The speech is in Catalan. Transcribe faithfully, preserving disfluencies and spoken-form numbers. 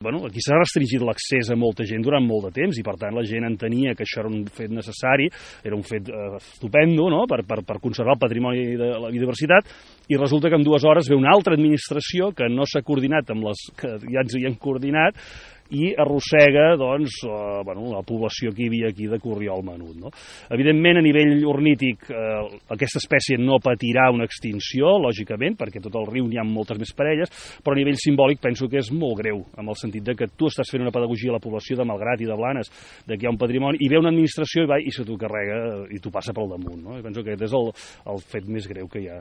Bueno, aquí s'ha restringit l'accés a molta gent durant molt de temps i, per tant, la gent entenia que això era un fet necessari, era un fet eh, estupendo, no?, per, per, per conservar el patrimoni de la biodiversitat, i resulta que en dues hores ve una altra administració que no s'ha coordinat amb les que ja ens havien coordinat i arrossega, doncs, eh, bueno, la població que hi havia aquí de corriol menut, no? Evidentment, a nivell ornític, eh, aquesta espècie no patirà una extinció, lògicament, perquè tot el riu n'hi ha moltes més parelles, però a nivell simbòlic penso que és molt greu, amb el sentit de que tu estàs fent una pedagogia a la població de Malgrat i de Blanes, de que hi ha un patrimoni, i ve una administració i va i se t'ho carrega i t'ho passa pel damunt, no? I penso que aquest és el, el fet més greu que hi ha.